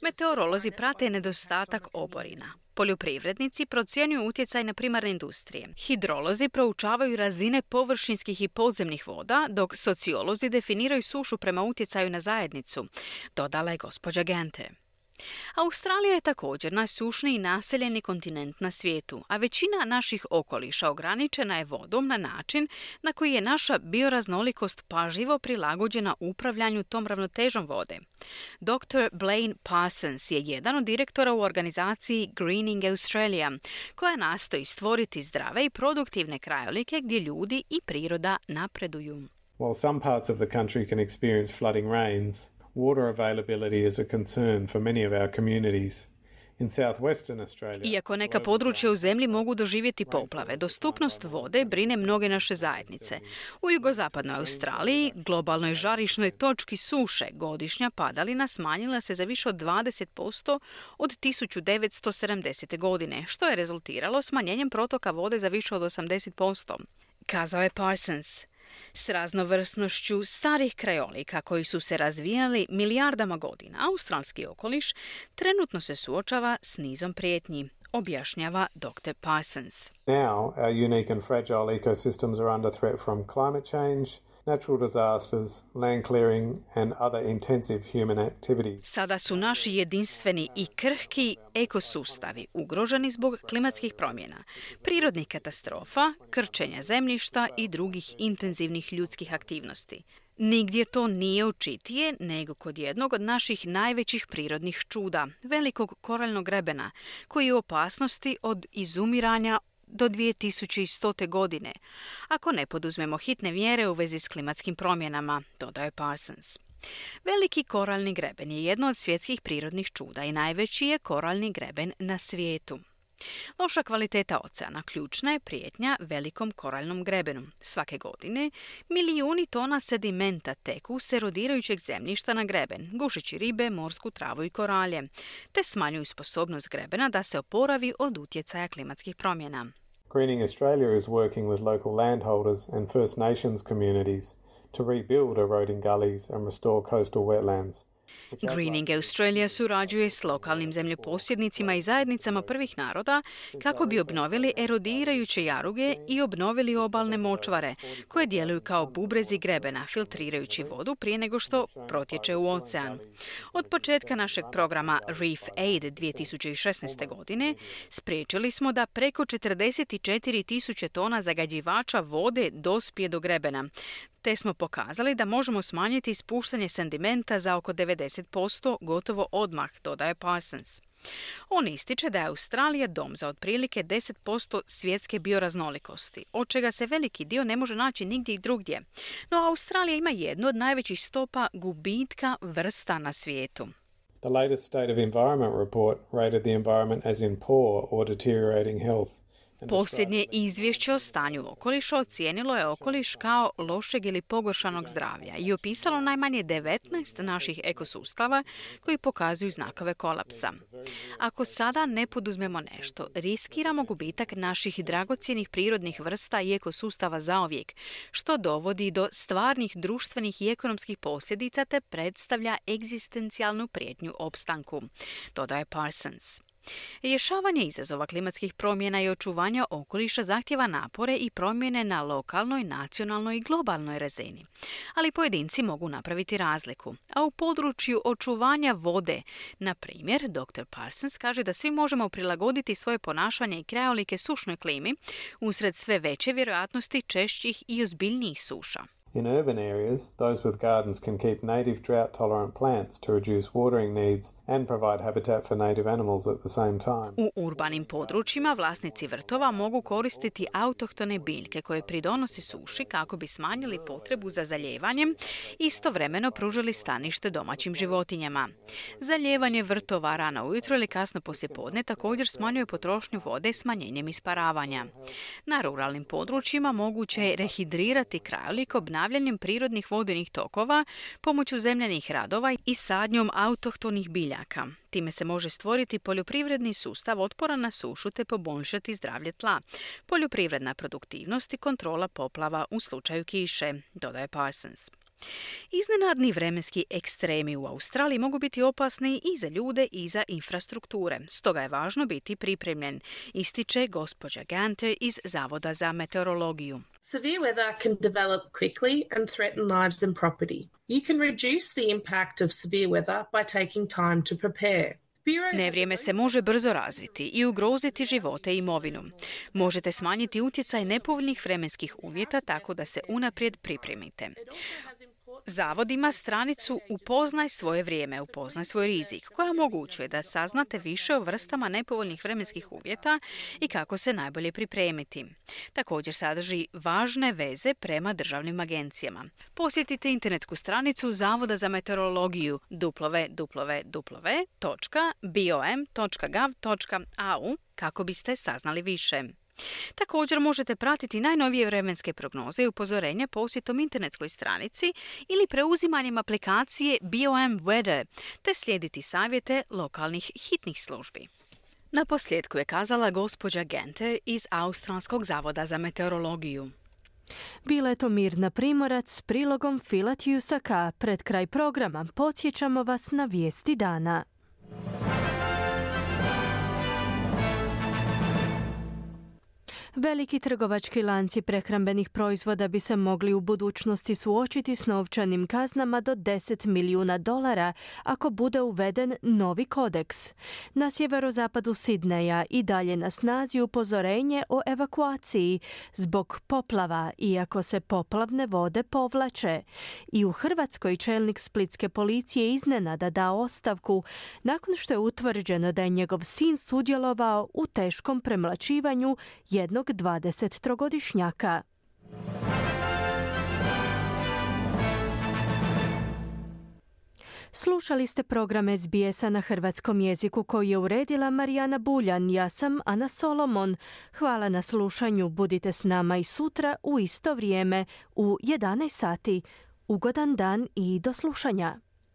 Meteorolozi prate nedostatak oborina. Poljoprivrednici procjenjuju utjecaj na primarne industrije. Hidrolozi proučavaju razine površinskih i podzemnih voda, dok sociolozi definiraju sušu prema utjecaju na zajednicu, dodala je gospođa Gente. Australija je također najsušniji naseljeni kontinent na svijetu, a većina naših okoliša ograničena je vodom na način na koji je naša bioraznolikost pažljivo prilagođena upravljanju tom ravnotežom vode. Dr. Blaine Parsons je jedan od direktora u organizaciji Greening Australia, koja nastoji stvoriti zdrave i produktivne krajolike gdje ljudi i priroda napreduju. While some parts of the country can experience flooding rains, water availability is a concern for many of our communities. In southwestern Australia, iako neka područja u zemlji mogu doživjeti poplave, dostupnost vode brine mnoge naše zajednice. U jugozapadnoj Australiji, globalnoj žarišnoj točki suše, godišnja padalina smanjila se za više od 20% od 1970. godine, što je rezultiralo smanjenjem protoka vode za više od 80%, kazao je Parsons. S raznovrsnošću starih krajolika koji su se razvijali milijardama godina, australski okoliš trenutno se suočava s nizom prijetnji, objašnjava Dr. Parsons. Now, our unique and fragile ecosystems are under threat from climate change, natural disasters, land clearing and other intensive human activities. Sada su naši jedinstveni i krhki ekosustavi ugroženi zbog klimatskih promjena, prirodnih katastrofa, krčenja zemljišta i drugih intenzivnih ljudskih aktivnosti. Nigdje to nije očitije nego kod jednog od naših najvećih prirodnih čuda, velikog koraljnog grebena, koji je u opasnosti od izumiranja do 2100. godine, ako ne poduzmemo hitne mjere u vezi s klimatskim promjenama, dodaje Parsons. Veliki koraljni greben je jedno od svjetskih prirodnih čuda i najveći je koraljni greben na svijetu. Loša kvaliteta oceana ključna je prijetnja velikom koraljnom grebenu. Svake godine milijuni tona sedimenta teku s erodirajućeg zemljišta na greben, gušeći ribe, morsku travu i koralje, te smanjuju sposobnost grebena da se oporavi od utjecaja klimatskih promjena. Greening Australia is working with local landholders and First Nations communities to rebuild eroding gullies and restore coastal wetlands. Greening Australia surađuje s lokalnim zemljoposjednicima i zajednicama prvih naroda kako bi obnovili erodirajuće jaruge i obnovili obalne močvare, koje djeluju kao bubrezi grebena, filtrirajući vodu prije nego što protječe u ocean. Od početka našeg programa Reef Aid 2016. godine spriječili smo da preko 44.000 tona zagađivača vode dospije do grebena, te smo pokazali da možemo smanjiti ispuštanje sedimenta za oko 90% gotovo odmah, dodaje Parsons. On ističe da je Australija dom za otprilike 10% svjetske bioraznolikosti, od čega se veliki dio ne može naći nigdje drugdje. No Australija ima jednu od najvećih stopa gubitka vrsta na svijetu. The latest State of Environment report rated the environment as in poor or deteriorating health. Posljednje izvješće o stanju okoliša ocijenilo je okoliš kao lošeg ili pogoršanog zdravlja i opisalo najmanje 19 naših ekosustava koji pokazuju znakove kolapsa. Ako sada ne poduzmemo nešto, riskiramo gubitak naših dragocjenih prirodnih vrsta i ekosustava zauvijek, što dovodi do stvarnih društvenih i ekonomskih posljedica te predstavlja egzistencijalnu prijetnju opstanku, dodaje Parsons. Rješavanje izazova klimatskih promjena i očuvanja okoliša zahtjeva napore i promjene na lokalnoj, nacionalnoj i globalnoj razini. Ali pojedinci mogu napraviti razliku. A u području očuvanja vode, na primjer, dr. Parsons kaže da svi možemo prilagoditi svoje ponašanje i krajolike sušnoj klimi usred sve veće vjerojatnosti češćih i ozbiljnijih suša. In urban areas, those with gardens can keep native drought-tolerant plants to reduce watering needs and provide habitat for native animals at the same time. U urbanim područjima vlasnici vrtova mogu koristiti autohtone biljke koje pridonosi suši kako bi smanjili potrebu za zaljevanjem i istovremeno pružili stanište domaćim životinjama. Zaljevanje vrtova rano ujutro ili kasno poslijepodne također smanjuje potrošnju vode smanjenjem isparavanja. Na ruralnim područjima moguće je rehidrirati krajolik obnavljanjem prirodnih vodenih tokova pomoću zemljanih radova i sadnjom autohtonih biljaka. Time se može stvoriti poljoprivredni sustav otporan na sušu te poboljšati zdravlje tla, poljoprivredna produktivnost i kontrola poplava u slučaju kiše, dodaje Parsons. Iznenadni vremenski ekstremi u Australiji mogu biti opasni i za ljude i za infrastrukture. Stoga je važno biti pripremljen, ističe gospođa Ganter iz Zavoda za meteorologiju. Severe weather can develop quickly and threaten lives and property. You can reduce the impact of severe weather by taking time to prepare. Nevrijeme se može brzo razviti i ugroziti živote i imovinu. Možete smanjiti utjecaj nepovoljnih vremenskih uvjeta tako da se unaprijed pripremite. Zavod ima stranicu Upoznaj svoje vrijeme, upoznaj svoj rizik, koja omogućuje da saznate više o vrstama nepovoljnih vremenskih uvjeta i kako se najbolje pripremiti. Također sadrži važne veze prema državnim agencijama. Posjetite internetsku stranicu Zavoda za meteorologiju www.bom.gov.au kako biste saznali više. Također možete pratiti najnovije vremenske prognoze i upozorenja posjetom internetskoj stranici ili preuzimanjem aplikacije BOM Weather, te slijediti savjete lokalnih hitnih službi. Na posljedku je kazala gospođa Ganter iz Australskog zavoda za meteorologiju. Bila je to Mirna Primorac s prilogom Fila Tjusaka. Pred kraj programa podsjećamo vas na vijesti dana. Veliki trgovački lanci prehrambenih proizvoda bi se mogli u budućnosti suočiti s novčanim kaznama do $10 milijuna ako bude uveden novi kodeks. Na sjeverozapadu Sidneja i dalje na snazi upozorenje o evakuaciji zbog poplava, iako se poplavne vode povlače. I u Hrvatskoj čelnik splitske policije iznenada dao ostavku nakon što je utvrđeno da je njegov sin sudjelovao u teškom premlaćivanju jednog 23-godišnjaka. Slušali ste program SBS-a na hrvatskom jeziku koji je uredila Marijana Buljan. Ja sam Ana Solomon. Hvala na slušanju. Budite s nama i sutra u isto vrijeme u 11 sati. Ugodan dan i do slušanja.